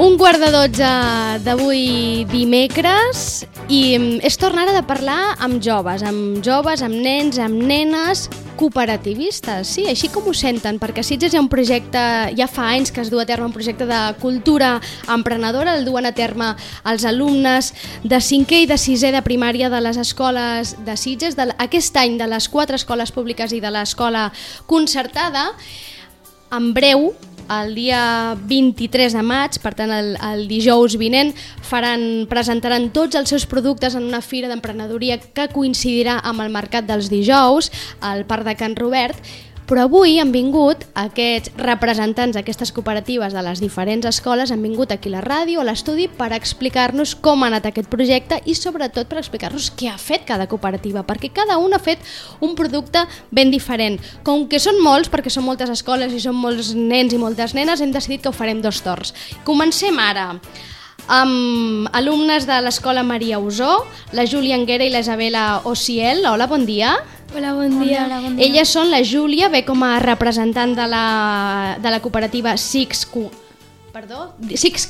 1:15 d'avui dimecres i és tornar de parlar amb joves, amb nens, amb nenes cooperativistes, sí, així com ho senten, perquè a Sitges hi ha un projecte, ja fa anys que es du a terme un projecte de cultura emprenedora, el duen a terme els alumnes de 5è i de 6è de primària de les escoles de Sitges, aquest any de les 4 escoles públiques i de l'escola concertada. En breu, el dia 23 de maig, per tant el dijous vinent, presentaran tots els seus productes en una fira d'emprenedoria que coincidirà amb el Mercat dels Dijous al Parc de Can Robert. Però avui han vingut aquests representants d'aquestes cooperatives de les diferents escoles, han vingut aquí a la ràdio, a l'estudi, per explicar-nos com ha anat aquest projecte i sobretot per explicar-nos què ha fet cada cooperativa, perquè cada una ha fet un producte ben diferent. Com que són molts, perquè són moltes escoles i són molts nens i moltes nenes, hem decidit que ho farem 2 torns. Comencem ara amb alumnes de l'escola Maria Usó, la Júlia Anguera i la Isabela Ociel. Hola, bon dia. Hola, bon dia. Elles són la Júlia, ve com a representant de la cooperativa Six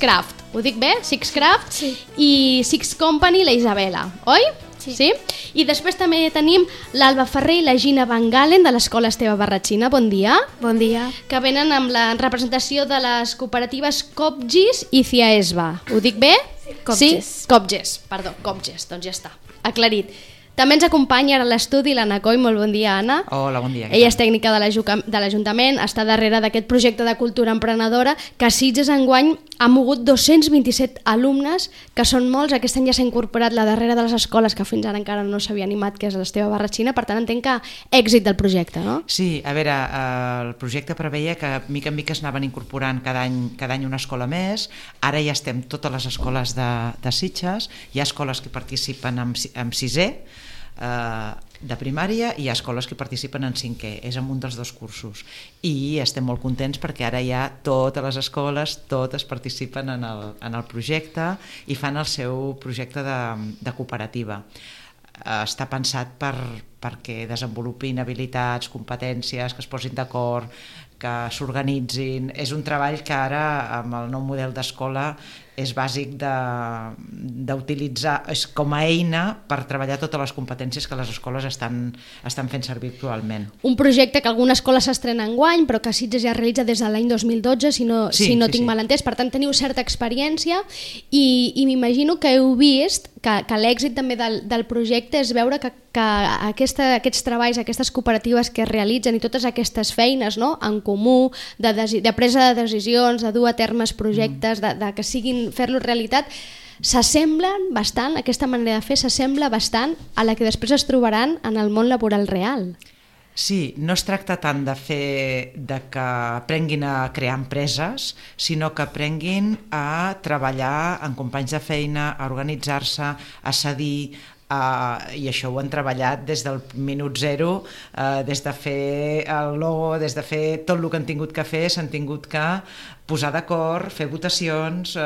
Craft. Ho dic bé? Six Craft? Sí. I Six Company, la Isabela, oi? Sí. I després també tenim l'Alba Ferrer i la Gina Van Galen de l'escola Esteve Barratxina. Bon dia. Bon dia. Que venen amb la representació de les cooperatives Copgis i Ciaesba. Ho dic bé? Sí. Copges, doncs ja està, aclarit. També ens acompanya ara a l'estudi l'Anna Coll. Molt bon dia, Anna. Hola, bon dia. Ella és tècnica de l'Ajuntament, està darrere d'aquest projecte de cultura emprenedora que a Sitges enguany ha mogut 227 alumnes, que són molts. Aquest any ja s'ha incorporat la darrera de les escoles que fins ara encara no s'havia animat, que és l'Esteve Barratxina. Per tant, entenc que èxit del projecte, no? Sí, a veure, el projecte preveia que mica en mica es anaven incorporant cada any una escola més. Ara ja estem totes les escoles de Sitges. Hi ha escoles que participen amb 6è de primària i hi ha escoles que participen en 5è, és en un dels 2 cursos i estem molt contents perquè ara ja totes les escoles, totes participen en el projecte i fan el seu projecte de cooperativa. Està pensat perquè desenvolupin habilitats, competències, que es posin d'acord, que s'organitzin. És un treball que ara amb el nou model d'escola és bàsic d'utilitzar com a eina per treballar totes les competències que les escoles estan fent servir actualment. Un projecte que alguna escola s'estrena enguany, però que Sitges ja realitza des de l'any 2012, si no tinc mal entès. Per tant, teniu certa experiència i m'imagino que heu vist que l'èxit també del projecte és veure que aquests treballs, aquestes cooperatives que es realitzen i totes aquestes feines, no?, en comú, de presa de decisions, de dur a termes projectes, de que siguin fer-los realitat, s'assemblen bastant, aquesta manera de fer s'assembla bastant a la que després es trobaran en el món laboral real. Sí, no es tracta tant de que aprenguin a crear empreses, sinó que aprenguin a treballar amb companys de feina, a organitzar-se, a cedir, i això ho han treballat des del minut zero, des de fer el logo, des de fer tot el que han tingut que fer, s'han tingut que posar d'acord, fer votacions,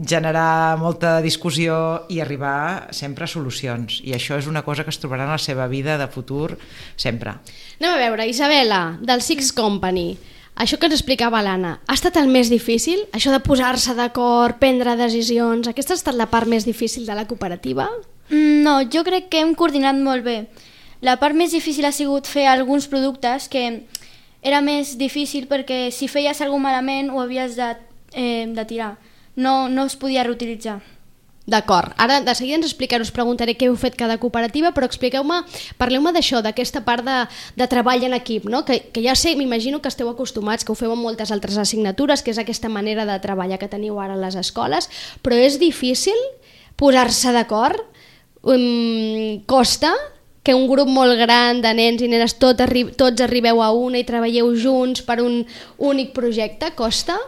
generar molta discussió i arribar sempre a solucions. I això és una cosa que es trobaran a la seva vida de futur sempre. Anem a veure, Isabela, del Six Company. Això que ens explicava l'Anna, ha estat el més difícil? Això de posar-se d'acord, prendre decisions, aquesta ha estat la part més difícil de la cooperativa? No, jo crec que hem coordinat molt bé. La part més difícil ha sigut fer alguns productes que era més difícil perquè si feies alguna malament ho havies de tirar. No es podia reutilitzar. D'acord, ara de seguida ens explicaré, us preguntaré què heu fet cada cooperativa, però parleu-me d'això, d'aquesta part de treball en equip, no? Que ja sé, m'imagino que esteu acostumats, que ho feu amb moltes altres assignatures, que és aquesta manera de treballar que teniu ara a les escoles, però és difícil posar-se d'acord? Costa que un grup molt gran de nens i nenes tots arribeu a una i treballeu junts per un únic projecte? Costa?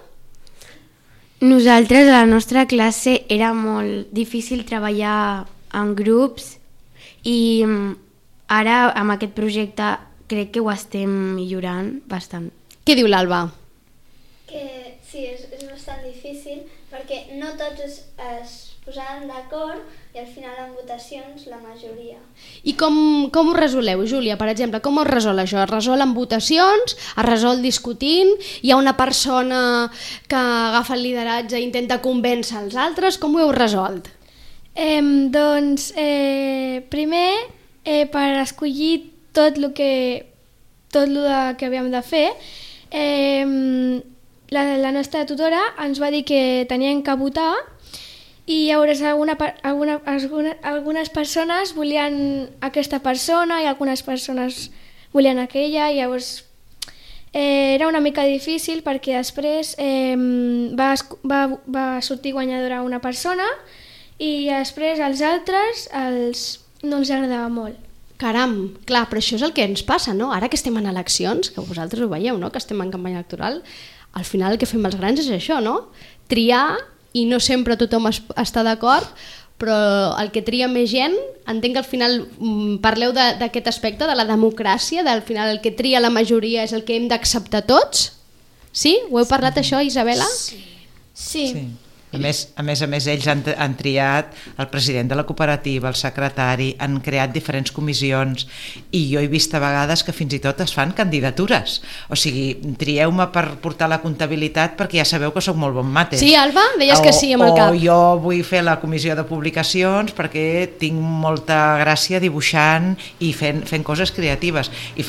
Nosaltres, a la nostra classe, era molt difícil treballar en grups i ara, amb aquest projecte, crec que ho estem millorant bastant. Què diu l'Alba? Que sí, és bastant difícil perquè no tots es posaven d'acord i al final en votacions la majoria. I com ho resoleu, Júlia, per exemple? Com es resol això? Es resol en votacions? Es resol discutint? Hi ha una persona que agafa el lideratge i intenta convèncer els altres? Com ho heu resolt? Doncs, primer, per escollir tot el que havíem de fer, la nostra tutora ens va dir que teníem que votar i llavors algunes persones volien aquesta persona i algunes persones volien aquella, i llavors era una mica difícil perquè després va sortir guanyadora una persona i després els altres no els agradava molt. Caram, clar, però això és el que ens passa, no? Ara que estem en eleccions, que vosaltres ho veieu, no? Que estem en campanya electoral, al final el que fem els grans és això, no? Triar, i no sempre tothom està d'acord, però el que tria més gent, entenc que al final parleu d'aquest aspecte, de la democràcia, del final el que tria la majoria és el que hem d'acceptar tots? Sí? Ho heu parlat això, Isabela? Sí. A més, ells han triat el president de la cooperativa, el secretari, han creat diferents comissions i jo he vist a vegades que fins i tot es fan candidatures. O sigui, trieu-me per portar la comptabilitat perquè ja sabeu que sóc molt bon mate. Sí, Alba? Deies que sí amb el cap. O jo vull fer la comissió de publicacions perquè tinc molta gràcia dibuixant i fent coses creatives. I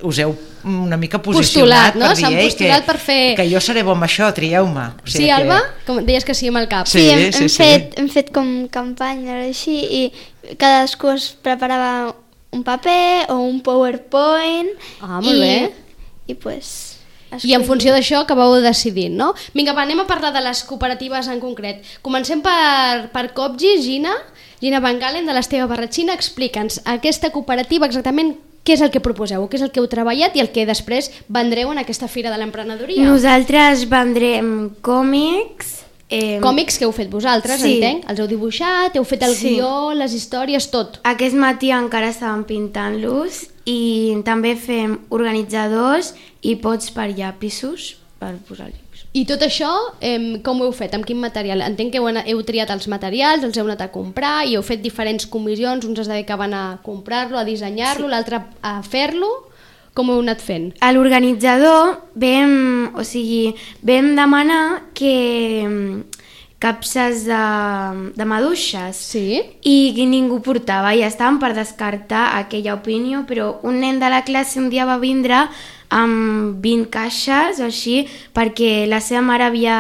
us heu una mica posicionat no? Per dir postulat per fer... que jo seré bo amb això, trieu-me. O sigui sí, Alba? Com deies que sí amb el cap. Sí, hem fet com campanya així i cadascú es preparava un paper o un PowerPoint. Ah, molt bé. I en funció d'això acabeu decidint, no? Vinga, anem a parlar de les cooperatives en concret. Comencem per Copgis, Gina Van Galen, de l'Esteve Barratxina. Explica'ns aquesta cooperativa exactament què és el que proposeu, què és el que heu treballat i el que després vendreu en aquesta Fira de l'Emprenedoria. Nosaltres vendrem còmics. Còmics que heu fet vosaltres, sí. Entenc. Els heu dibuixat, heu fet el guió, les històries, tot. Aquest matí encara estàvem pintant-los i també fem organitzadors i pots per llapisos per posar-los. I tot això, com ho heu fet? Amb quin material? Entenc que heu triat els materials, els heu anat a comprar i heu fet diferents comissions, uns es dedicaven a comprar-lo, a dissenyar-lo, l'altre a fer-lo. Com ho heu anat fent? A l'organitzador vam demanar que capses de maduixes i ningú portava i estàvem per descartar aquella opinió, però un nen de la classe un dia va vindre amb 20 caixes o així perquè la seva mare havia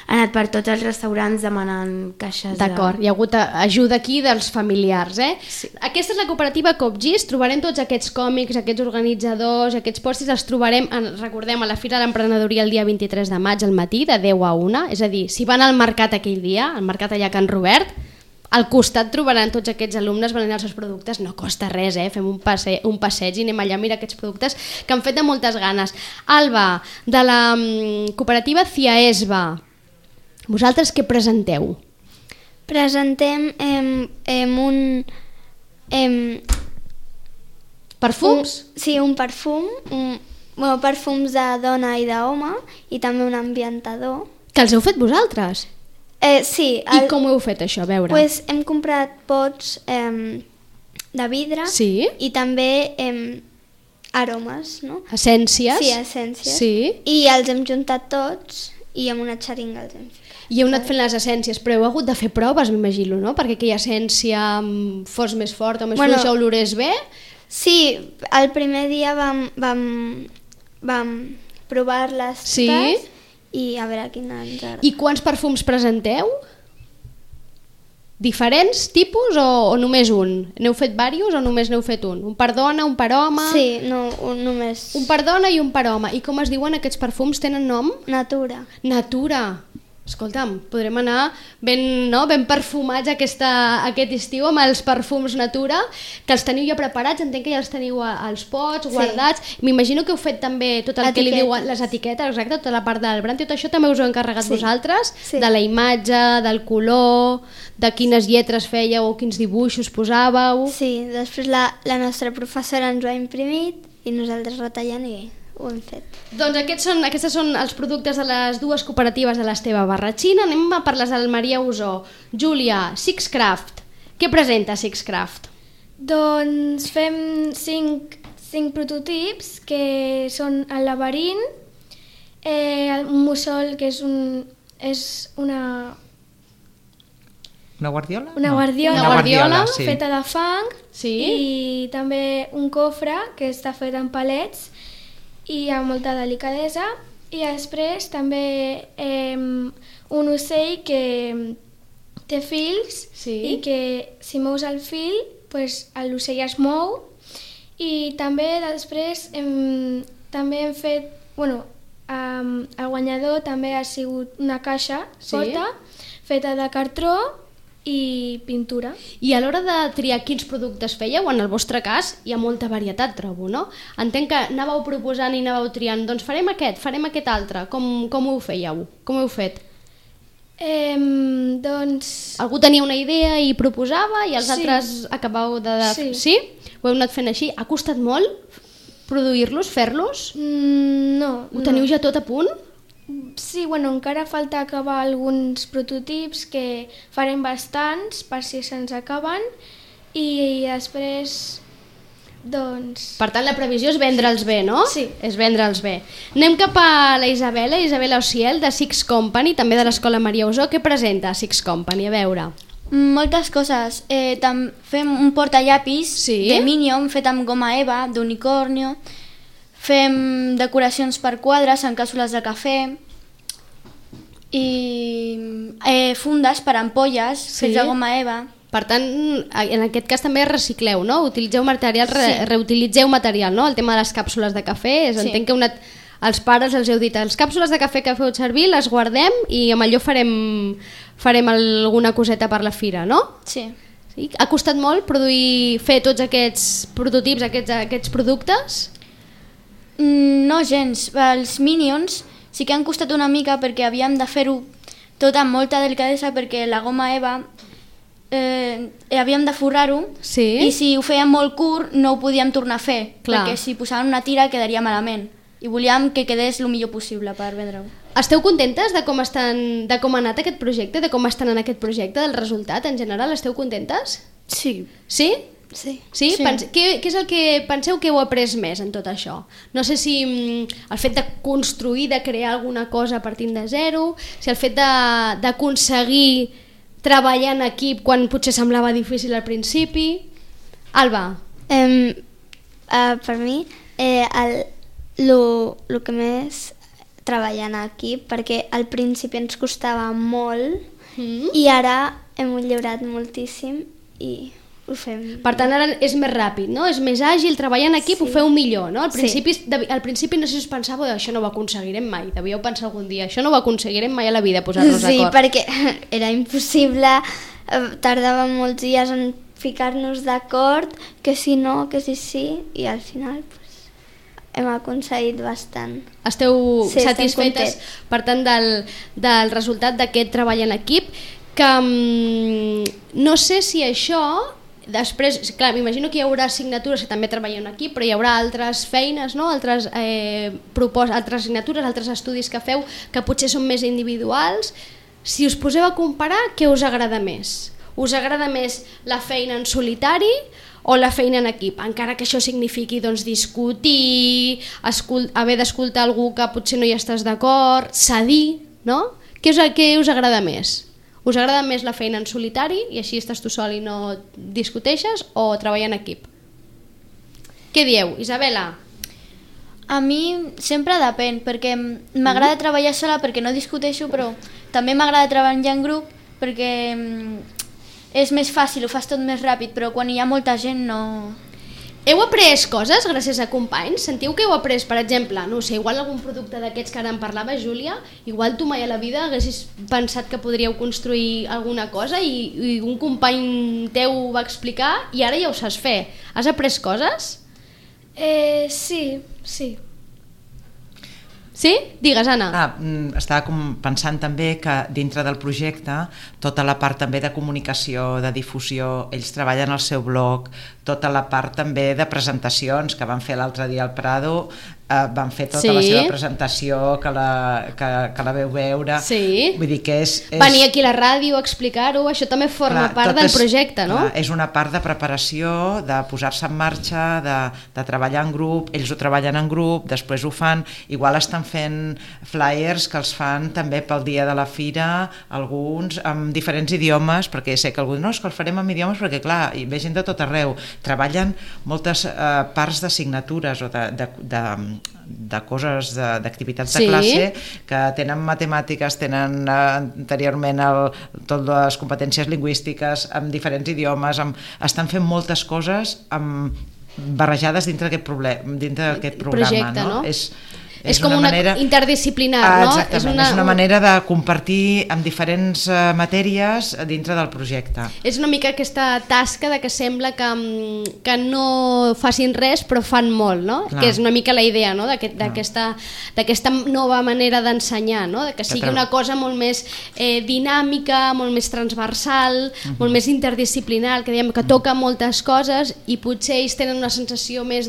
anat per tots els restaurants demanant caixes. D'acord, hi ha hagut ajuda aquí dels familiars, Sí. Aquesta és la cooperativa Copgis, trobarem tots aquests còmics, aquests organitzadors, aquests pòsters, els trobarem, recordem, a la Fira de l'Emprenedoria el dia 23 de maig al matí, de 10 a 1, és a dir, si van al mercat aquell dia, al mercat allà a Can Robert, al costat trobaran tots aquests alumnes venent els seus productes, no costa res, fem un passeig i anem allà a mirar aquests productes que han fet de moltes ganes. Alba, de la cooperativa Ciaesba, vosaltres què presenteu? Presentem perfums? Sí, un perfum, perfums de dona i d'home i també un ambientador. Que els heu fet vosaltres? Sí. I com ho heu fet això? A veure. Hem comprat pots de vidre i també aromes, no? Essències? Sí, essències. Sí. I els hem juntat tots i amb una xeringa els hem ficat. I heu anat fent les essències, però heu hagut de fer proves, m'imagino, no? Perquè aquella essència fos més forta o més fluixa, olorés bé? Sí, el primer dia vam provar-les totes i a veure quina ens agrada. I quants perfums presenteu? Diferents tipus o només un? N'heu fet diversos o només n'heu fet un? Un per dona, un per home? Sí, no, només... Un per dona i un per home. I com es diuen aquests perfums? Tenen nom? Natura. Natura. Escolta'm, podrem anar ben perfumats aquest estiu amb els perfums Natura, que els teniu ja preparats, entenc que ja els teniu als pots, guardats. M'imagino que heu fet també tot el que li diuen les etiquetes, exacte, tota la part del brand, tot això també us ho heu encarregat vosaltres? De la imatge, del color, de quines lletres fèieu o quins dibuixos posàveu? Sí, després la nostra professora ens ho ha imprimit i nosaltres retallant i ho hem fet. Doncs aquests són els productes de les dues cooperatives de l'Esteve Barratxina. Anem a per les del Maria Usó. Júlia, Sixcraft. Què presenta Sixcraft? Doncs fem 5 prototips que són el laberint, el mussol, que és una guardiola? Una guardiola sí. feta de fang, Sí. i també un cofre que està fet en palets i amb molta delicadesa, i després també un ocell que té fils, Sí. i que si mous el fil pues, l'ocell es mou, i també després també hem fet, el guanyador també ha sigut una caixa forta, feta de cartró i pintura. I a l'hora de triar quins productes fèieu, en el vostre cas hi ha molta varietat, trobo, no? Entenc que anàveu proposant i anàveu triant, doncs farem aquest altre. Com ho fèieu? Com ho heu fet? Doncs... Algú tenia una idea i proposava i els Sí. altres acabau de... Sí. Sí? Ho heu anat fent així? Ha costat molt produir-los, fer-los? No. Ho teniu ja tot a punt? Sí, encara falta acabar alguns prototips, que farem bastants per si se'ns acaben, i després, doncs... Per tant, la previsió és vendre'ls bé, no? Sí. És vendre'ls bé. Anem cap a la Isabela Ociel, de Six Company, també de l'Escola Maria Usó. Què presenta Six Company? A veure... Moltes coses. Fem un portallapis Sí. de Minion fet amb goma eva, d'unicornio. Fem decoracions per quadres en càpsules de cafè i fundes per ampolles fets de goma eva. Per tant, en aquest cas també recicleu, no? Utilitzeu material, reutilitzeu material, no? El tema de les càpsules de cafè, Sí. entenc que els pares els heu dit, les càpsules de cafè que feu servir les guardem i amb allò farem alguna coseta per la fira, no? Sí. Sí? Ha costat molt fer tots aquests prototips, aquests productes? No gens. Els Minions sí que han costat una mica perquè havíem de fer-ho tot amb molta delicadesa, perquè la goma eva havíem de forrar-ho, Sí. i si ho fèiem molt curt no ho podíem tornar a fer, Clar. perquè si posaven una tira quedaria malament, i volíem que quedés el millor possible per vendre-ho. Esteu contentes de com ha anat aquest projecte, de com estan en aquest projecte, del resultat en general? Esteu contentes? Sí. Sí? Sí. Sí? Sí. Què és el que penseu que heu après més en tot això? No sé si el fet de construir, de crear alguna cosa partint de zero, si el fet d'aconseguir treballar en equip quan potser semblava difícil al principi. Alba. Per mi, el que més treballar en equip, perquè al principi ens costava molt i ara hem millorat moltíssim i ho fem. Per tant, ara és més ràpid, no? És més àgil, treballar en equip, ho feu millor, no? Al principi no sé si us pensàveu, això no ho aconseguirem mai, devíeu pensar algun dia, això no ho aconseguirem mai a la vida, posar-nos Sí, d'acord. perquè era impossible, tardàvem molts dies en ficar-nos d'acord, que si no, que si sí, i al final hem aconseguit bastant. Esteu Sí, estem satisfetes, contents. per tant, del resultat d'aquest treball en equip, que no sé si això... Després, clar, m'imagino que hi haurà assignatures que també treballeu en equip, però hi haurà altres feines, no? altres assignatures, altres estudis que feu que potser són més individuals. Si us poseu a comparar, què us agrada més? Us agrada més la feina en solitari o la feina en equip? Encara que això signifiqui discutir, haver d'escoltar algú que potser no hi estàs d'acord, cedir, no? Què us agrada més? Us agrada més la feina en solitari i així estàs tu sol i no discuteixes, o treballar en equip? Què dieu, Isabela? A mi sempre depèn, perquè m'agrada treballar sola perquè no discuteixo, però també m'agrada treballar en grup perquè és més fàcil, ho fas tot més ràpid, però quan hi ha molta gent no... Heu après coses gràcies a companys? Sentiu que heu après, per exemple, no sé, igual algun producte d'aquests que ara en parlava, Júlia, igual tu mai a la vida haguessis pensat que podríeu construir alguna cosa i un company teu ho va explicar i ara ja ho saps fer. Has après coses? Sí. Sí? Digues, Anna. Estava pensant també que dintre del projecte tota la part també de comunicació, de difusió, ells treballen al seu blog, tota la part també de presentacions que van fer l'altre dia al Prado, van fer tota la seva presentació, que la veu veure. Vull dir que és... Venir aquí a la ràdio a explicar-ho, això també forma part del projecte, no? És una part de preparació, de posar-se en marxa, de treballar en grup, ells ho treballen en grup, després ho fan, igual estan fent flyers que els fan també pel dia de la fira, alguns amb diferents idiomes, perquè sé que algú diu, no, és que els farem amb idiomes perquè clar, hi ve gent de tot arreu, treballen moltes parts de signatures o de coses, d'activitats de classe que tenen matemàtiques, tenen anteriorment totes les competències lingüístiques amb diferents idiomes, estan fent moltes coses barrejades dintre d'aquest programa. Projecte, no? És com una interdisciplinar, no? Exactament, és una manera de compartir amb diferents matèries dintre del projecte. És una mica aquesta tasca de que sembla que no facin res però fan molt, no? Clar. Que és una mica la idea, no? D'aquesta nova manera d'ensenyar, no? Que sigui una cosa molt més dinàmica, molt més transversal, molt més interdisciplinar, que diem que toca moltes coses i potser ells tenen una sensació més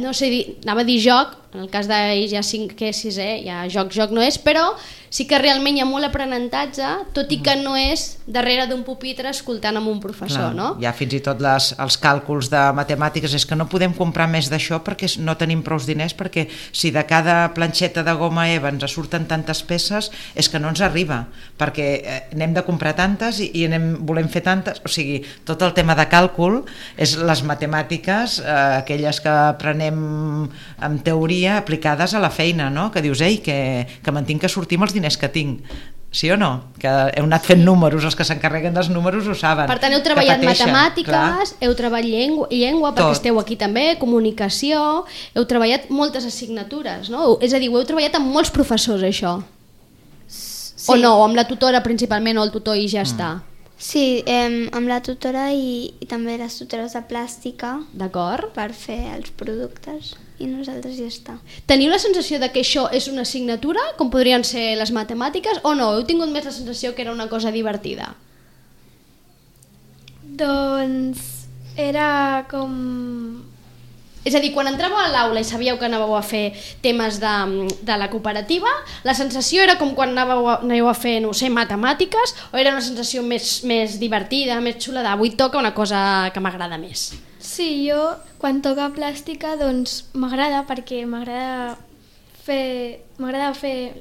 no sé, anava a dir joc, en el cas d'ells ja 5è, 6è, ja joc no és, però sí que realment hi ha molt aprenentatge, tot i que no és darrere d'un pupitre escoltant amb un professor, no? Hi ha fins i tot els càlculs de matemàtiques, és que no podem comprar més d'això perquè no tenim prous diners, perquè si de cada planxeta de goma Eva ens surten tantes peces, és que no ens arriba, perquè n'hem de comprar tantes i volem fer tantes, o sigui, tot el tema de càlcul és les matemàtiques, aquelles que aprenem en teoria aplicades a la feina, no? Que dius, ei, que me'n tinc que sortir amb els diners que tinc, sí o no? Que heu anat fent números, els que s'encarreguen dels números ho saben. Per tant, heu treballat matemàtiques, heu treballat llengua, perquè esteu aquí també, comunicació, heu treballat moltes assignatures, no? És a dir, ho heu treballat amb molts professors, això? O no, o amb la tutora principalment, o el tutor i ja està? Sí, amb la tutora i també les tutores de plàstica. D'acord. Per fer els productes i nosaltres ja està. Teniu la sensació de que això és una assignatura, com podrien ser les matemàtiques, o no? Heu tingut més la sensació que era una cosa divertida? Doncs era com... És a dir, quan entràveu a l'aula i sabíeu que anàveu a fer temes de la cooperativa, la sensació era com quan anàveu a fer, no sé, matemàtiques, o era una sensació més divertida, més xula, avui toca una cosa que m'agrada més? Sí, jo quan toca plàstica doncs m'agrada perquè m'agrada fer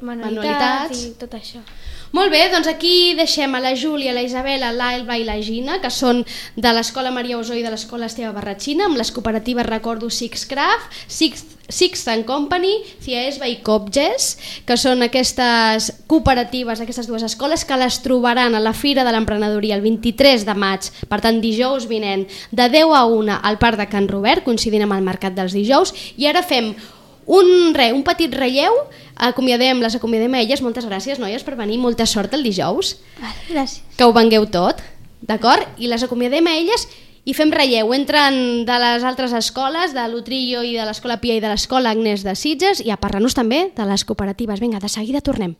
manualitats i tot això. Molt bé, doncs aquí deixem a la Júlia, la Isabela, l'Alba i la Gina, que són de l'Escola Maria Osó i de l'Escola Esteve Barratxina, amb les cooperatives, recordo, Sixcraft, Sixth and Company, Ciaesba i Copges, que són aquestes cooperatives, aquestes dues escoles, que les trobaran a la Fira de l'Emprenedoria el 23 de maig, per tant dijous vinent, de 10 a 1 al Parc de Can Robert, coincidint amb el Mercat dels Dijous, i ara fem un petit relleu, les acomiadem a elles. Moltes gràcies, noies, per venir, molta sort el dijous. Gràcies. Que ho vengueu tot, d'acord? I les acomiadem a elles i fem relleu. Entren de les altres escoles, de l'Utrillo i de l'Escola Pia i de l'Escola Agnès de Sitges, i a parlar-nos també de les cooperatives. Vinga, de seguida tornem.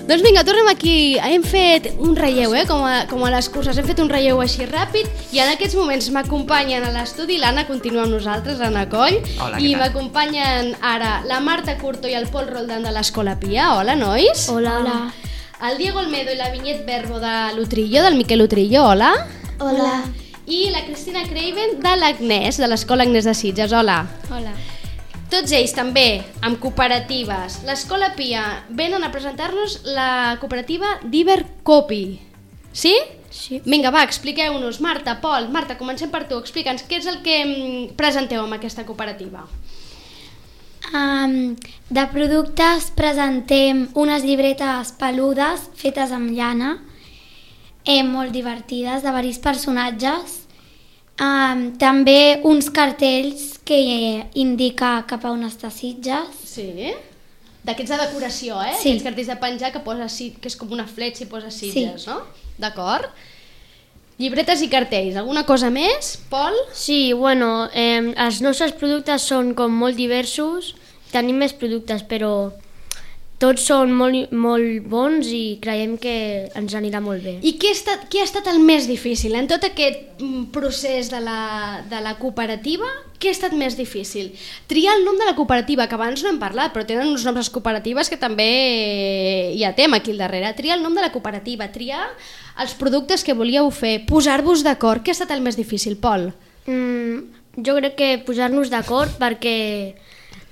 Doncs vinga, tornem aquí. Hem fet un relleu, com a les curses. Hem fet un relleu així ràpid i en aquests moments m'acompanyen a l'estudi l'Anna, continua amb nosaltres, l'Anna Coll. Hola, i m'acompanyen ara la Marta Curto i el Pol Roldán de l'Escola Pia. Hola, nois. Hola. El Diego Olmedo i la Vinyet Verbo de l'Utrillo, del Miquel Utrillo. Hola. Hola. I la Cristina Craven de l'Agnès, de l'Escola Agnès de Sitges. Hola. Hola. Tots ells també amb cooperatives. L'Escola Pia venen a presentar-nos la cooperativa d'Ibercopi. Sí? Sí. Vinga, va, expliqueu-nos. Marta, Pol, Marta, comencem per tu. Explica'ns què és el que presenteu amb aquesta cooperativa. De productes presentem unes llibretes peludes fetes amb llana, molt divertides, de diversos personatges. També uns cartells que indica cap a on està Sitges. Sí? D'aquests de decoració, Sí. Aquests cartells de penjar que és com una fletxa i posa Sitges, Sí. no? D'acord? Llibretes i cartells. Alguna cosa més, Pol? Sí, bueno, els nostres productes són com molt diversos, tenim més productes, però tots són molt bons i creiem que ens anirà molt bé. I què ha estat el més difícil? En tot aquest procés de la cooperativa, què ha estat més difícil? Triar el nom de la cooperativa, que abans no hem parlat, però tenen uns noms les cooperatives que també hi ha tema aquí al darrere. Triar el nom de la cooperativa, triar els productes que volíeu fer, posar-vos d'acord. Què ha estat el més difícil, Pol? Jo crec que posar-nos d'acord perquè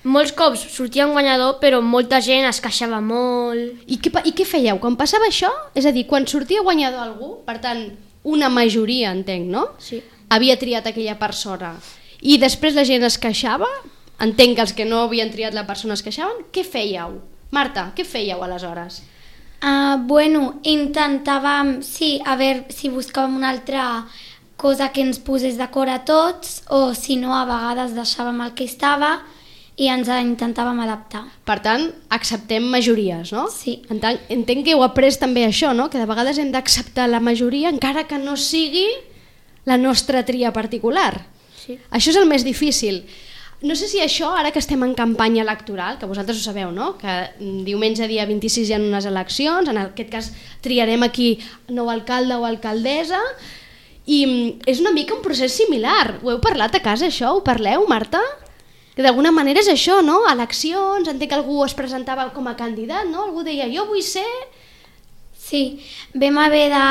molts cops sortia un guanyador, però molta gent es queixava molt. I què fèieu? Quan passava això, és a dir, quan sortia guanyador algú, per tant, una majoria, entenc, no? Sí. Havia triat aquella persona i després la gent es queixava, entenc que els que no havien triat la persona es queixaven, què fèieu? Marta, què fèieu aleshores? Bueno, intentàvem, sí, a veure si buscàvem una altra cosa que ens posés d'acord a tots, o si no, a vegades deixàvem el que estava i ens intentàvem adaptar. Per tant, acceptem majories, no? Sí. Entenc que heu après també això, no? Que de vegades hem d'acceptar la majoria encara que no sigui la nostra tria particular. Sí. Això és el més difícil. No sé si això, ara que estem en campanya electoral, que vosaltres ho sabeu, no? Que diumenge dia 26 hi ha unes eleccions, en aquest cas triarem aquí nou alcalde o alcaldessa, i és una mica un procés similar. Ho heu parlat a casa, això? Ho parleu, Marta? Que d'alguna manera és això, no? Eleccions, entenc que algú es presentava com a candidat, no? Algú deia, jo vull ser... Sí, vam haver de...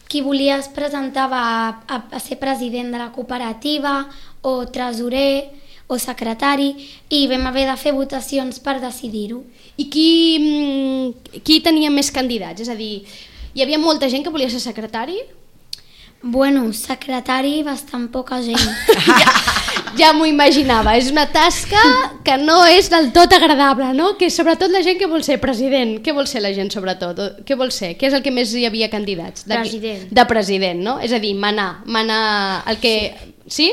Qui volia es presentava a ser president de la cooperativa, o tresorer, o secretari, i vam haver de fer votacions per decidir-ho. I qui tenia més candidats? És a dir, hi havia molta gent que volia ser secretari? Bueno, secretari, bastant poca gent. Ja m'ho imaginava, és una tasca que no és del tot agradable, no? Que sobretot la gent que vol ser president, què vol ser la gent sobretot? Què vol ser? Què és el que més hi havia candidats? President. De president, no? És a dir, manar el que... Sí?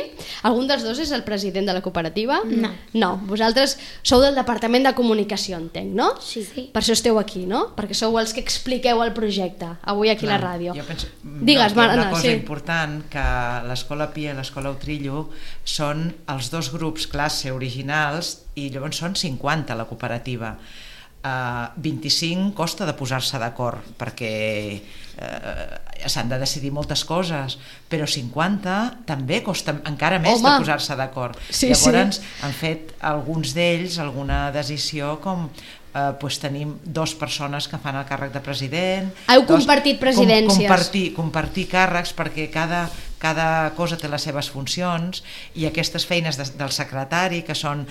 Algun dels dos és el president de la cooperativa? No. No, vosaltres sou del departament de comunicació, entenc, no? Sí. Per això esteu aquí, no? Perquè sou els que expliqueu el projecte, avui aquí a la ràdio. Jo penso, Digues, una cosa important, que l'Escola Pia i l'Escola Utrillo són els dos grups classe originals i llavors són 50 la cooperativa. 25 costa de posar-se d'acord perquè s'han de decidir moltes coses, però 50 també costa encara més de posar-se d'acord. Sí, llavors han fet alguns d'ells alguna decisió com tenim 2 persones que fan el càrrec de president. Heu compartit presidències. Compartir càrrecs perquè cada cosa té les seves funcions, i aquestes feines del secretari, que són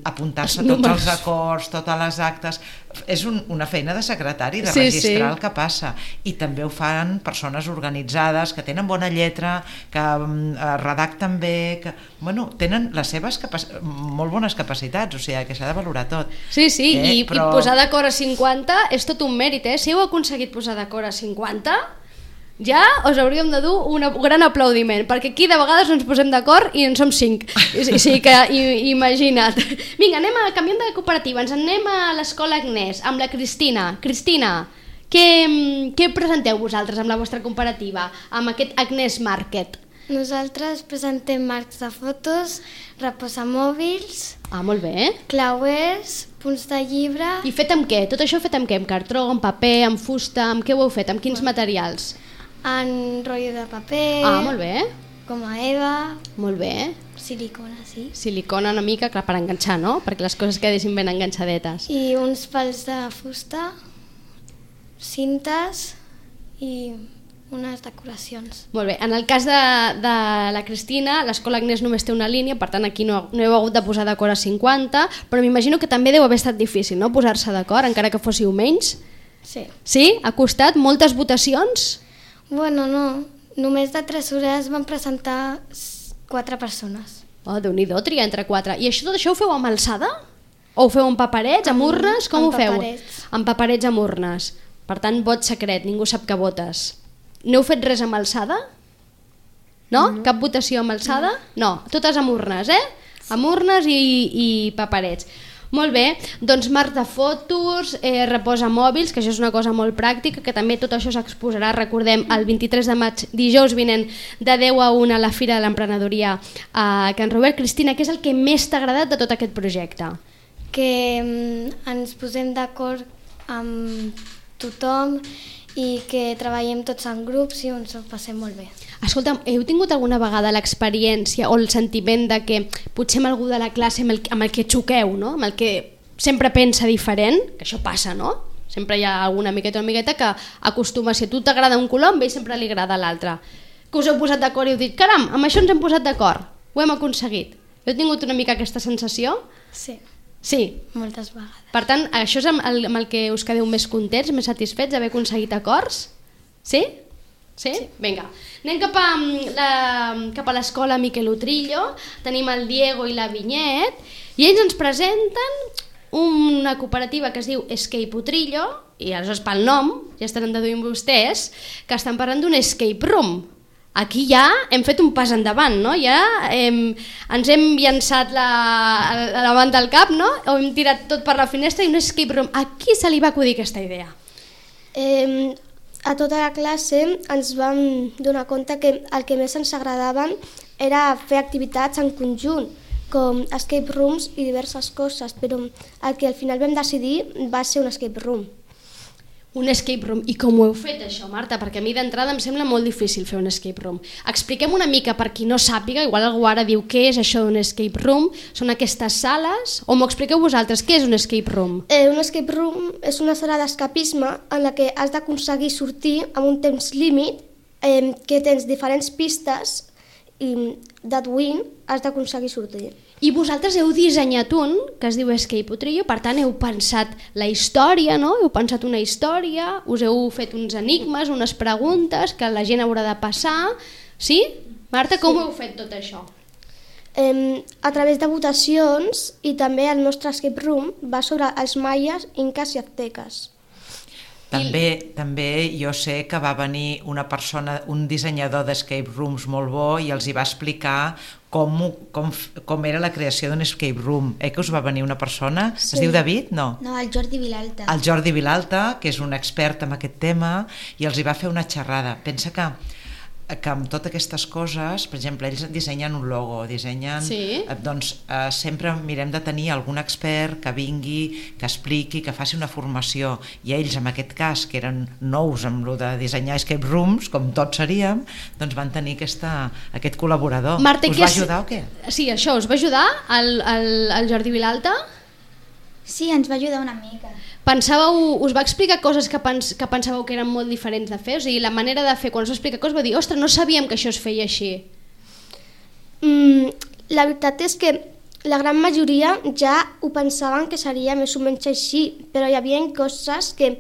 apuntar-se tots els acords, totes les actes, és una feina de secretari, de registrar el que passa, i també ho fan persones organitzades que tenen bona lletra, que redacten bé, que tenen les seves molt bones capacitats, o sigui que s'ha de valorar tot. Sí, i posar d'acord a 50 és tot un mèrit, si heu aconseguit posar d'acord a 50, ja us hauríem de dur un gran aplaudiment, perquè aquí de vegades no ens posem d'acord i en som 5. Sí que imagina't. Vinga, canviem de cooperativa, ens anem a l'Escola Agnès, amb la Cristina. Cristina, què presenteu vosaltres amb la vostra cooperativa, amb aquest Agnès Market? Nosaltres presentem marcs de fotos, reposamòbils... Molt bé. Clauers, punts de llibre... I fet amb què? Tot això fet amb què? Amb cartró, amb paper, amb fusta, amb què ho heu fet? Amb quins materials? En rotllo de paper... Molt bé. Goma Eva... Molt bé. Silicona, sí. Silicona una mica, clar, per enganxar, no? Perquè les coses quedessin ben enganxadetes. I uns pals de fusta, cintes i unes decoracions. Molt bé. En el cas de la Cristina, l'Escola Agnès només té una línia, per tant aquí no heu hagut de posar d'acord a 50, però m'imagino que també deu haver estat difícil, no?, posar-se d'acord, encara que fóssiu menys. Sí. Sí? Ha costat moltes votacions? Bueno, no. Només de tresorers van presentar 4 persones. Déu-n'hi-do, triar entre 4. I tot això ho feu amb alçada? O ho feu amb paperets, amb urnes? Com ho feu? Amb paperets, amb urnes. Per tant, vot secret, ningú sap que votes. No heu fet res amb alçada? No? Cap votació amb alçada? No, totes amb urnes, Amb urnes i paperets. Molt bé, doncs marc de fotos, reposa mòbils, que això és una cosa molt pràctica, que també tot això s'exposarà, recordem, el 23 de maig, dijous vinent, de 10 a 1 a la Fira de l'Emprenedoria a Can Robert. Cristina, què és el que més t'ha agradat de tot aquest projecte? Que ens posem d'acord amb tothom i que treballem tots en grups i ens ho passem molt bé. Escolta'm, heu tingut alguna vegada l'experiència o el sentiment de que potser amb algú de la classe amb el que xoqueu, no? Amb el que sempre pensa diferent, que això passa, no? Sempre hi ha alguna miqueta o amigueta que acostuma, si a tu t'agrada un color, a ell sempre li agrada l'altre. Que us heu posat d'acord i heu dit, caram, amb això ens hem posat d'acord, ho hem aconseguit. Heu tingut una mica aquesta sensació? Sí. Sí. Moltes vegades. Per tant, això és amb el que us quedeu més contents, més satisfets d'haver aconseguit acords? Sí? Sí? Vinga. Anem cap a l'escola Miquel Utrillo, tenim el Diego i la Vinyet, i ells ens presenten una cooperativa que es diu Escape Utrillo, i aleshores pel nom, ja estaran deduint vostès, que estan parlant d'un escape room. Aquí ja hem fet un pas endavant, no? Ja ens hem llançat la banda al cap, no? O hem tirat tot per la finestra i un escape room. A qui se li va acudir aquesta idea? A tota la classe ens vam donar compte que el que més ens agradaven era fer activitats en conjunt, com escape rooms i diverses coses, però el que al final vam decidir va ser un escape room. Un escape room. I com ho heu fet això, Marta? Perquè a mi d'entrada em sembla molt difícil fer un escape room. Expliquem una mica per qui no sàpiga, igual algú ara diu què és això d'un escape room, són aquestes sales, o m'ho expliqueu vosaltres, què és un escape room? Un escape room és una sala d'escapisme en la que has d'aconseguir sortir amb un temps límit, que tens diferents pistes i deduint has d'aconseguir sortir. I vosaltres heu dissenyat un que es diu Escape Utrillo, per tant heu pensat la història, no? Heu pensat una història, us heu fet uns enigmes, unes preguntes que la gent haurà de passar, sí? Marta, com ho heu fet tot això? A través de votacions, i també el nostre escape room va sobre els maies, inques i azteques. També jo sé que va venir una persona, un dissenyador d'escape rooms molt bo, i els hi va explicar com era la creació d'un escape room. Que us va venir una persona? Sí. Es diu David? No, el Jordi Vilalta. El Jordi Vilalta, que és un expert en aquest tema, i els hi va fer una xerrada. Pensa que amb totes aquestes coses, per exemple, ells dissenyen un logo, sempre mirem de tenir algun expert que vingui, que expliqui, que faci una formació, i ells en aquest cas, que eren nous amb lo de dissenyar escape rooms, com tots seríem, doncs van tenir aquest col·laborador. Marta, us va ajudar o què? Sí, això, us va ajudar el Jordi Vilalta? Sí, ens va ajudar una mica. Us va explicar coses que pensàveu que eren molt diferents de fer? O sigui, la manera de fer, quan us va explicar coses, va dir, ostres, no sabíem que això es feia així. La veritat és que la gran majoria ja ho pensaven que seria més o menys així, però hi havia coses que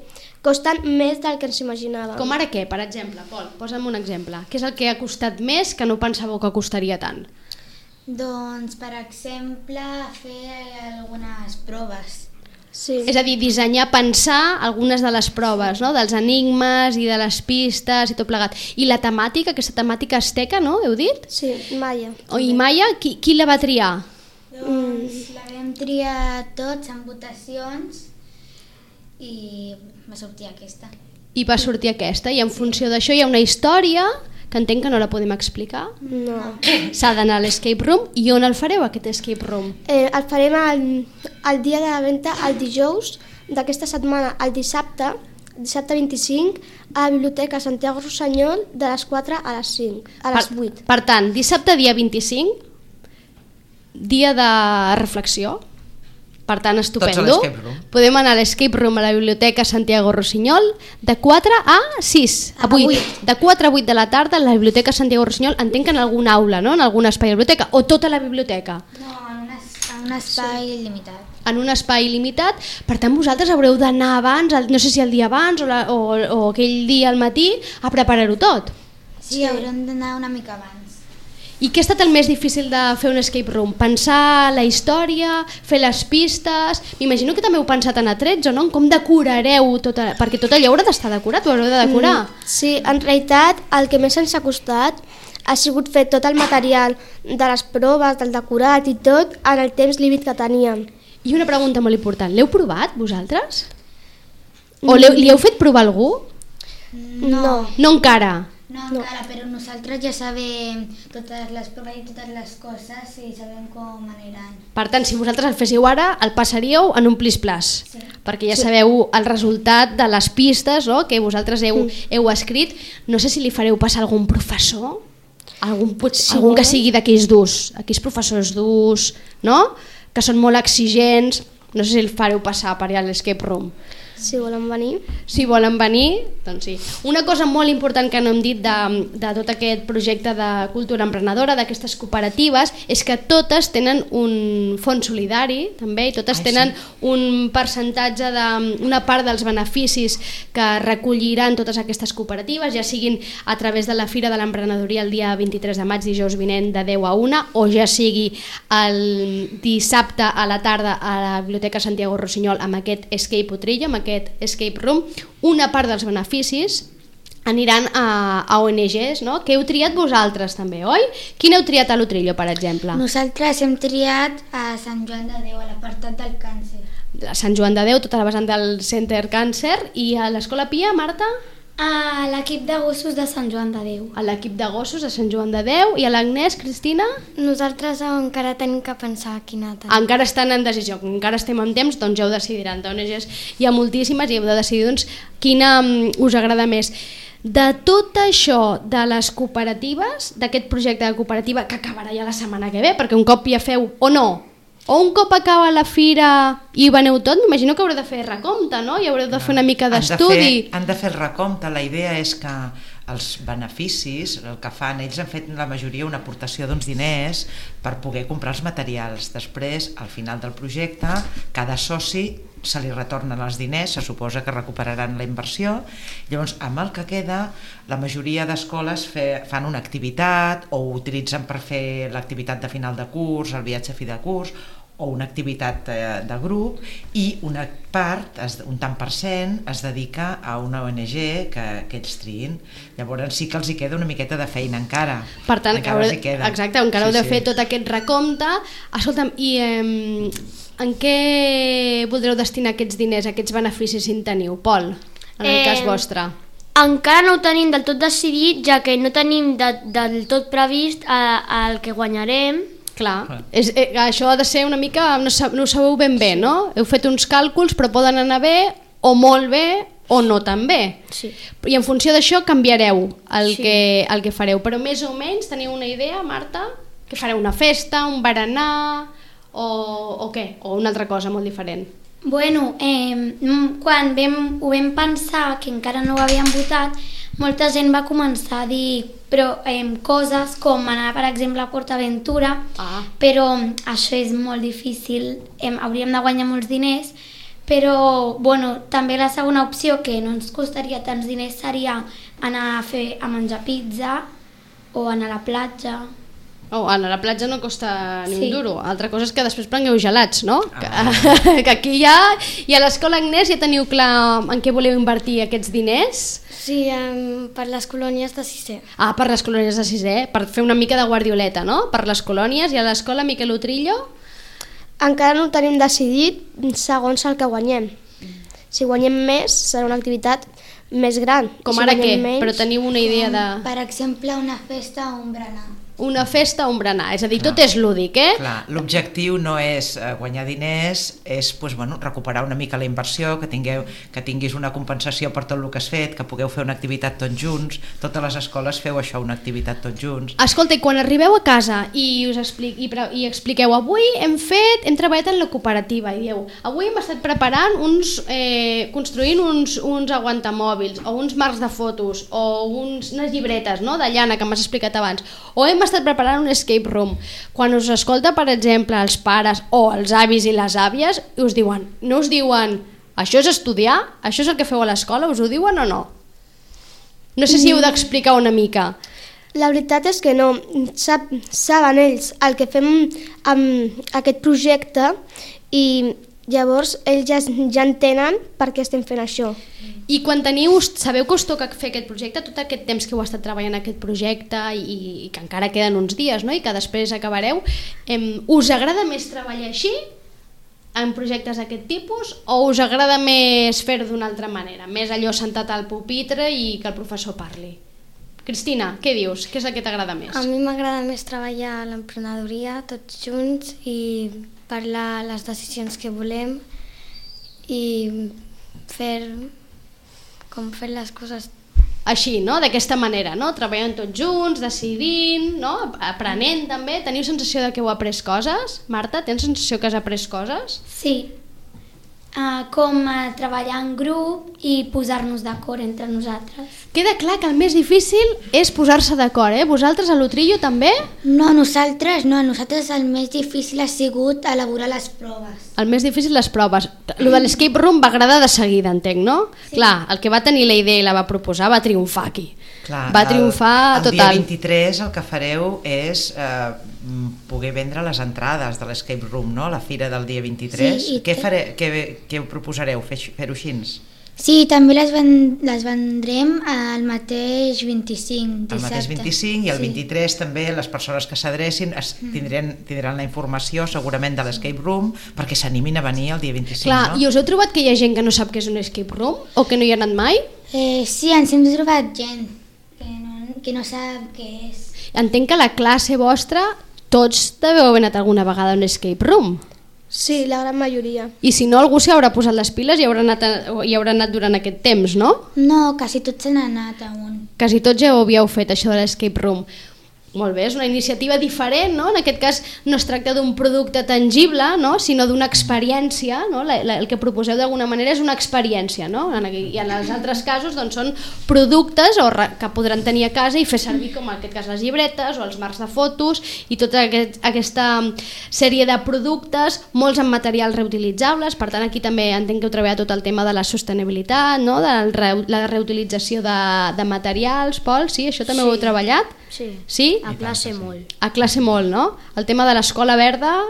costen més del que ens imaginàvem. Com ara què, per exemple? Pol, posa'm un exemple. Què és el que ha costat més que no pensàveu que costaria tant? Doncs, per exemple, fer algunes proves. Sí. És a dir, dissenyar, pensar algunes de les proves, no? Dels enigmes i de les pistes i tot plegat. I la temàtica, aquesta temàtica asteca, no? Heu dit? Sí, maia. I maia, qui la va triar? Doncs la vam triar tots en votacions i va sortir aquesta. I va sortir aquesta, i en funció d'això hi ha una història que entenc que no la podem explicar. No. S'ha d'anar a l'escape room. I on el fareu, aquest escape room? El farem el dia de la venda, el dijous d'aquesta setmana, el dissabte 25, a la Biblioteca Santiago Rossinyol, de les 4 a les 5, a les 8. Per tant, dissabte dia 25, dia de reflexió. Per tant, estupendo. Podem anar a l'escape room a la Biblioteca Santiago Rossinyol de 4 a 6, a 8. De 4 a 8 de la tarda a la Biblioteca Santiago Rossinyol, entenc que en alguna aula, no? En algun espai de la biblioteca, o tota la biblioteca? No, en un espai limitat. En un espai limitat. Per tant, vosaltres haureu d'anar abans, no sé si el dia abans o aquell dia al matí, a preparar-ho tot. Sí, haurem d'anar una mica abans. I què ha estat el més difícil de fer un escape room? Pensar la història, fer les pistes... M'imagino que també heu pensat en atrets, o no? En com decorareu tot, perquè tot allò haurà d'estar decorat, ho haureu de decorar. Sí, en realitat el que més ens ha costat ha sigut fer tot el material de les proves, del decorat i tot, en el temps límit que teníem. I una pregunta molt important, l'heu provat vosaltres? O li heu fet provar algú? No. No encara? No encara, però nosaltres ja sabem totes les proves i totes les coses i sabem com aniran. Per tant, si vosaltres el féssiu ara, el passaríeu en un plis-plas, perquè ja sabeu el resultat de les pistes, no?, que vosaltres heu escrit. No sé si li fareu passar algun professor, algun que sigui d'aquells durs, aquells professors durs, no?, que són molt exigents. No sé si el fareu passar per allà a l'escape room. Si volen venir. Si volen venir, doncs sí. Una cosa molt important que no hem dit de tot aquest projecte de cultura emprenedora, d'aquestes cooperatives, és que totes tenen un fons solidari, també, i totes tenen un percentatge una part dels beneficis que recolliran totes aquestes cooperatives, ja siguin a través de la Fira de l'Emprenedoria el dia 23 de maig, dijous vinent, de 10 a 1, o ja sigui el dissabte a la tarda a la Biblioteca Santiago Rossinyol amb aquest Escape Utrillo, amb aquest escape room. Una part dels beneficis aniran a ONGs, no?, que heu triat vosaltres també, oi? Quin heu triat a l'Utrillo, per exemple? Nosaltres hem triat a Sant Joan de Déu, a l'apartat del càncer. A Sant Joan de Déu, tota la vessant del Center Càncer. I a l'Escola Pia, Marta? A l'equip de gossos de Sant Joan de Déu. A l'equip de gossos de Sant Joan de Déu. I a l'Agnès, Cristina? Nosaltres encara tenim que pensar quina tal. Encara estan en decisió, encara estem en temps, doncs ja ho decidiran. D'ONGs hi ha moltíssimes i heu de decidir doncs, quina us agrada més. De tot això de les cooperatives, d'aquest projecte de cooperativa que acabarà ja la setmana que ve, perquè un cop ja feu, o no? O un cop acaba la fira i veneu tot, m'imagino que haureu de fer recompte, no? I haureu de fer una mica d'estudi. Han de fer el recompte. La idea és que els beneficis, el que fan, ells han fet la majoria una aportació d'uns diners per poder comprar els materials. Després, al final del projecte, cada soci se li retornen els diners, se suposa que recuperaran la inversió. Llavors, amb el que queda, la majoria d'escoles fan una activitat o ho utilitzen per fer l'activitat de final de curs, el viatge a fi de curs, o una activitat de grup, i una part, un tant per cent, es dedica a una ONG que ells triïn. Llavors sí que els hi queda una miqueta de feina encara. Per tant, exacte, encara heu de fer tot aquest recompte. Escolta'm, i en què voldreu destinar aquests diners, aquests beneficis, si en teniu? Pol, en el cas vostre. Encara no ho tenim del tot decidit, ja que no tenim del tot previst el que guanyarem. Clar, això ha de ser una mica, no ho sabeu ben bé, no? Heu fet uns càlculs, però poden anar bé, o molt bé, o no tan bé. Sí. I en funció d'això canviareu el que fareu. Però més o menys teniu una idea, Marta? Que fareu una festa, un berenar, o què? O una altra cosa molt diferent? Bueno, quan ho vam pensar, que encara no ho havíem votat, molta gent va començar a dir coses com anar, per exemple, a PortAventura, però això és molt difícil, hauríem de guanyar molts diners, però també la segona opció, que no ens costaria tants diners, seria anar a menjar pizza o anar a la platja. Anar a la platja no costa ni un duro. Altra cosa és que després prengueu gelats, no? Que aquí ja... I a l'Escola Agnès ja teniu clar en què voleu invertir aquests diners? Sí, per les colònies de sisè. Per les colònies de sisè, per fer una mica de guardioleta, no? Per les colònies. I a l'Escola Miquel Utrillo? Encara no ho tenim decidit segons el que guanyem. Si guanyem més, serà una activitat més gran. Com ara què? Però teniu una idea de... Per exemple, una festa o un berenar. Una festa o un berenar, és a dir, tot és lúdic, Clar, l'objectiu no és guanyar diners, és recuperar una mica la inversió, que tinguis una compensació per tot el que has fet, que pugueu fer una activitat tots junts. Totes les escoles feu això, una activitat tots junts. Escolta, i quan arribeu a casa i expliqueu, avui hem treballat en la cooperativa, i dieu, avui hem estat preparant construint uns aguantamòbils, o uns marcs de fotos, o unes llibretes de llana que m'has explicat abans, o hem estat preparant un escape room. Quan us escolta, per exemple, els pares o els avis i les àvies, us diuen, no us diuen, això és estudiar, això és el que feu a l'escola, us ho diuen o no? No sé si heu d'explicar una mica. La veritat és que no, saben ells el que fem amb aquest projecte i llavors ells ja entenen per què estem fent això. I quan sabeu que us toca fer aquest projecte, tot aquest temps que heu estat treballant aquest projecte i que encara queden uns dies, no? I que després acabareu, us agrada més treballar així, en projectes d'aquest tipus o us agrada més fer-ho d'una altra manera? Més allò sentat al pupitre i que el professor parli? Cristina, què dius? Què és el que t'agrada més? A mi m'agrada més treballar a l'emprenedoria tots junts i parlar les decisions que volem i fer les coses així, no? D'aquesta manera, no? Treballant tots junts, decidint, no? Aprenent també. Teniu sensació de que heu après coses? Marta, tens sensació que has après coses? Sí, com treballar en grup i posar-nos d'acord entre nosaltres. Queda clar que el més difícil és posar-se d'acord, eh? Vosaltres a l'Utrillo també? No, nosaltres el més difícil ha sigut elaborar les proves. El més difícil les proves. Lo de l'escape room va agradar de seguida, entenc, no? Sí. Clar, el que va tenir la idea i la va proposar va triomfar aquí. Clar, va triomfar total. El dia 23 el que fareu és poder vendre les entrades de l'escape room, no? La fira del dia 23. Sí, què proposareu? Fer-ho així? Sí, també les vendrem el mateix 25 dissabte. El mateix 25 i el 23 també les persones que s'adrecin tindran la informació segurament de l'escape room perquè s'animin a venir el dia 25. Clar, no? I us heu trobat que hi ha gent que no sap què és un escape room o que no hi ha anat mai? Sí, ens hem trobat gent que no sap què és. Entenc que a la classe vostra tots deveu haver anat alguna vegada a un escape room. Sí, la gran majoria. I si no, algú s'hi haurà posat les piles i haurà anat durant aquest temps, no? No, quasi tots s'han anat a un. Quasi tots ja ho havíeu fet, això de l'escape room. Molt bé, és una iniciativa diferent, no? En aquest cas no es tracta d'un producte tangible, no? Sinó d'una experiència, no? El que proposeu d'alguna manera és una experiència, no? I en els altres casos doncs, són productes que podran tenir a casa i fer servir, com en aquest cas les llibretes o els marcs de fotos i tota aquesta sèrie de productes, molts amb materials reutilitzables. Per tant, aquí també entenc que heu treballat tot el tema de la sostenibilitat, no? De la reutilització de materials. Pol, sí? Això també ho heu treballat? Sí? A classe molt. A classe molt, no? El tema de l'escola verda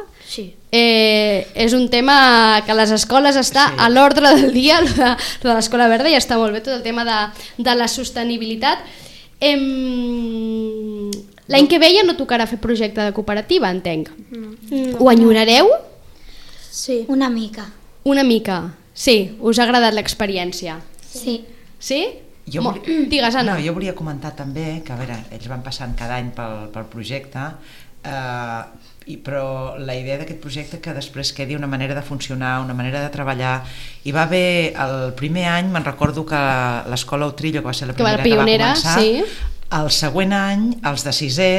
és un tema que a les escoles està a l'ordre del dia, de l'escola verda, i està molt bé tot el tema de la sostenibilitat. L'any que ve ja no tocarà fer projecte de cooperativa, entenc. Ho enyorareu? Sí. Una mica. Una mica, sí. Us ha agradat l'experiència? Sí. Sí? Digues, Anna. No, jo volia comentar també que, a veure, ells van passant cada any pel projecte, però la idea d'aquest projecte que després quedi una manera de funcionar, una manera de treballar. Hi va haver, el primer any, me'n recordo que l'escola Utrillo, que va ser la primera que va començar, el següent any, els de sisè,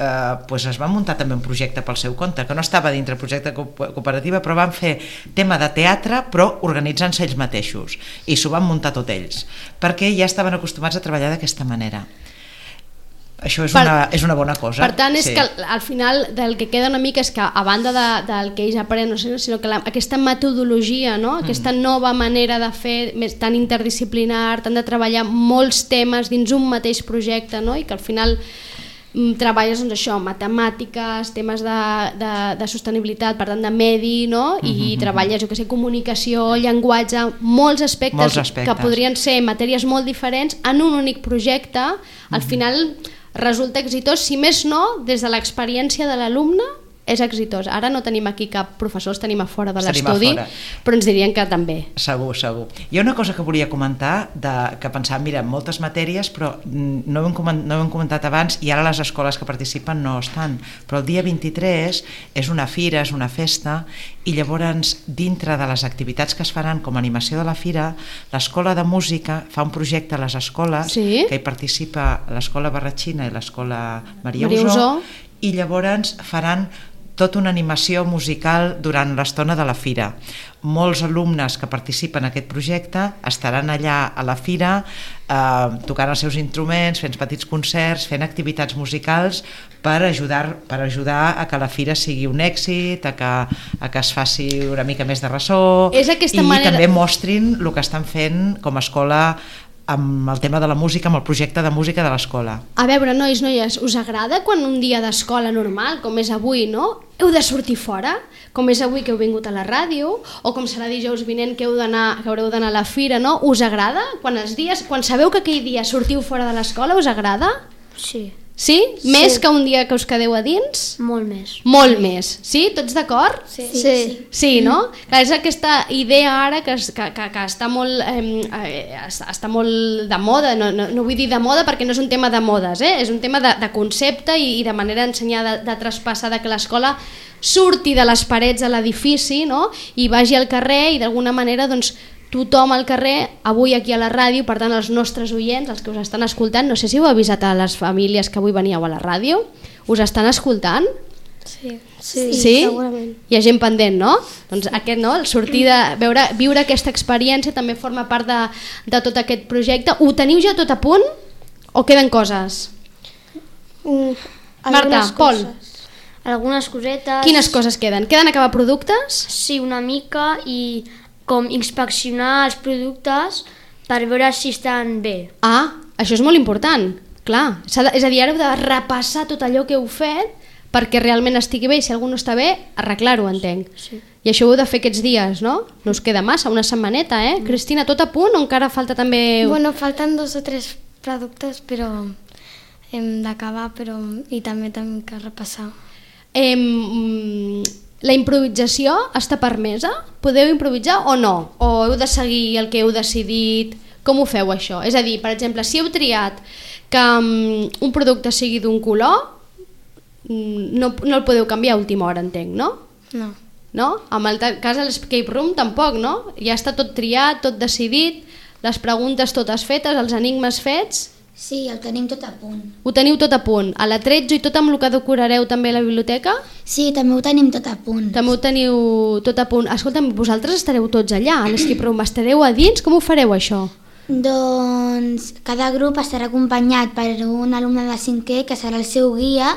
es van muntar també un projecte pel seu compte, que no estava dintre el projecte cooperativa, però van fer tema de teatre, però organitzant-se ells mateixos, i s'ho van muntar tot ells, perquè ja estaven acostumats a treballar d'aquesta manera. Això és una bona cosa. Per tant, és que al final del que queda una mica és que, a banda del que ells aprenen, sinó que aquesta metodologia, no? Aquesta nova manera de fer, tan interdisciplinar, tant de treballar molts temes dins un mateix projecte, no? I que al final treballes doncs, això, matemàtiques, temes de sostenibilitat, per tant de medi, no? I treballes, comunicació, llenguatge, molts aspectes que podrien ser matèries molt diferents en un únic projecte. Al final resulta exitós, si més no, des de l'experiència de l'alumne és exitós. Ara no tenim aquí cap professor, els tenim a fora de l'estudi, però ens dirien que també. Segur. Hi ha una cosa que volia comentar, que pensàvem, mira, moltes matèries, però no ho hem comentat abans, i ara les escoles que participen no estan, però el dia 23 és una fira, és una festa, i llavors dintre de les activitats que es faran com a animació de la fira, l'escola de música fa un projecte a les escoles, que hi participa l'escola Barratxina i l'escola Maria Usó, i llavors faran tota una animació musical durant l'estona de la fira. Molts alumnes que participen en aquest projecte estaran allà a la fira tocant els seus instruments, fent petits concerts, fent activitats musicals per ajudar a que la fira sigui un èxit, a que es faci una mica més de ressò, i també mostrin el que estan fent com a escola amb el tema de la música, amb el projecte de música de l'escola. A veure, noies, us agrada quan un dia d'escola normal, com és avui, no? Heu de sortir fora, com és avui que heu vingut a la ràdio, o com serà dijous vinent que haureu d'anar a la fira, no? Us agrada? Quan sabeu que aquell dia sortiu fora de l'escola, us agrada? Sí. Sí? Més que un dia que us quedeu a dins? Molt més. Molt més. Sí? Tots d'acord? Sí, no? Clar, és aquesta idea ara que està molt de moda, no vull dir de moda perquè no és un tema de modes, és un tema de concepte i de manera d'ensenyar, de traspassar, que l'escola surti de les parets de l'edifici, no? I vagi al carrer i d'alguna manera doncs, tothom al carrer, avui aquí a la ràdio, per tant els nostres oients, els que us estan escoltant, no sé si heu avisat a les famílies que avui veníeu a la ràdio, us estan escoltant? Sí, segurament. Hi ha gent pendent, no? Doncs aquest, no? El sortir de viure aquesta experiència també forma part de tot aquest projecte. Ho teniu ja tot a punt o queden coses? Marta, Pol. Algunes cosetes. Quines coses queden? Queden acabar productes? Sí, una mica, i com inspeccionar els productes per veure si estan bé. Això és molt important, clar. És a dir, ara heu de repassar tot allò que heu fet perquè realment estigui bé i si algú no està bé, arreglar-ho, entenc. Sí. I això ho heu de fer aquests dies, no? No us queda massa, una setmaneta, Cristina, tot a punt o encara falta també... Bueno, falten 2 o 3 productes, però hem d'acabar, i també tenim que repassar. La improvisació està permesa? Podeu improvisar o no? O heu de seguir el que heu decidit? Com ho feu això? És a dir, per exemple, si heu triat que un producte sigui d'un color, no el podeu canviar a última hora, entenc, no? No? En el cas de l'Escape Room tampoc, no? Ja està tot triat, tot decidit, les preguntes totes fetes, els enigmes fets... Sí, el tenim tot a punt. Ho teniu tot a punt. A l'atretzo i tot amb el que decorareu també a la biblioteca? Sí, també ho tenim tot a punt. També ho teniu tot a punt. Escolta'm, vosaltres estareu tots allà, a l'Escape Room. Estareu a dins? Com ho fareu, això? Doncs cada grup estarà acompanyat per un alumne de 5è que serà el seu guia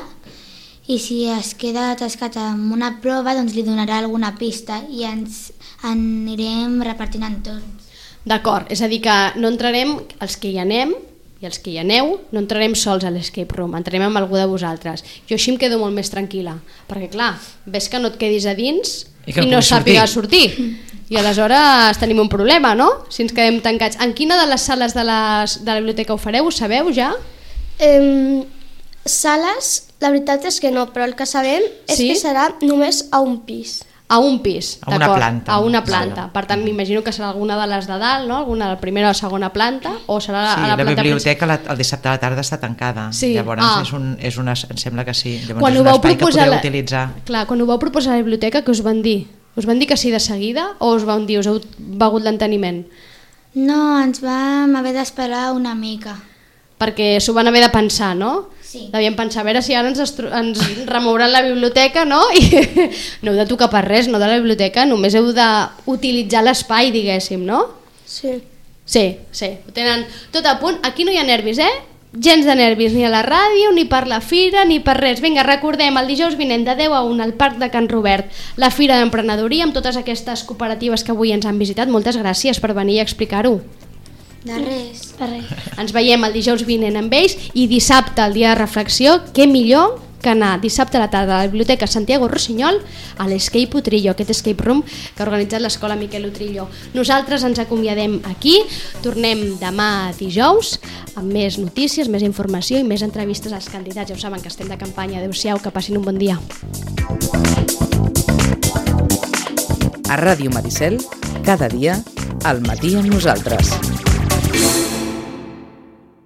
i si es queda atascat amb una prova doncs li donarà alguna pista i ens anirem repartint en torns. D'acord, és a dir que no entrarem, els que hi anem i els que hi aneu, no entrarem sols a l'Escape Room, entrarem amb algú de vosaltres. Jo així em quedo molt més tranquil·la, perquè clar, ves que no et quedis a dins i no sàpiga sortir. I aleshores tenim un problema, no? Si ens quedem tancats. En quina de les sales de la biblioteca ho fareu? Ho sabeu ja? Sales, la veritat és que no, però el que sabem és que serà només a un pis. A un pis, a una planta. A una planta. Per tant, m'imagino que serà alguna de les de dalt, no? Alguna de la primera o segona planta, o serà a la planta biblioteca el dissabte a la tarda està tancada. Sí. Llavors em sembla que sí. Llavors quan és un espai que podeu utilitzar. Clar, quan ho vau proposar a la biblioteca, què us van dir? Us van dir que sí de seguida o us van dir, us heu begut l'enteniment? No, ens vam haver d'esperar una mica. Perquè s'ho van haver de pensar, no? Sí. Devien pensar, a veure si ara ens remouran la biblioteca, no? I no heu de tocar per res, no, de la biblioteca, només heu d'utilitzar l'espai, diguéssim, no? Sí. Sí, ho tenen tot a punt. Aquí no hi ha nervis, Gens de nervis, ni a la ràdio, ni per la fira, ni per res. Vinga, recordem, el dijous vinent de 10 a 1 al Parc de Can Robert, la Fira d'Emprenedoria, amb totes aquestes cooperatives que avui ens han visitat. Moltes gràcies per venir a explicar-ho. De res. Ens veiem el dijous vinent amb ells i dissabte, el dia de reflexió, què millor que anar dissabte a la tarda a la Biblioteca Santiago Rossinyol a l'Escape Utrillo, aquest escape room que ha organitzat l'Escola Miquel Utrillo. Nosaltres ens acomiadem aquí, tornem demà dijous amb més notícies, més informació i més entrevistes als candidats. Ja ho saben que estem de campanya. Adéu-siau, que passin un bon dia. A Ràdio Maricel, cada dia, al matí amb nosaltres.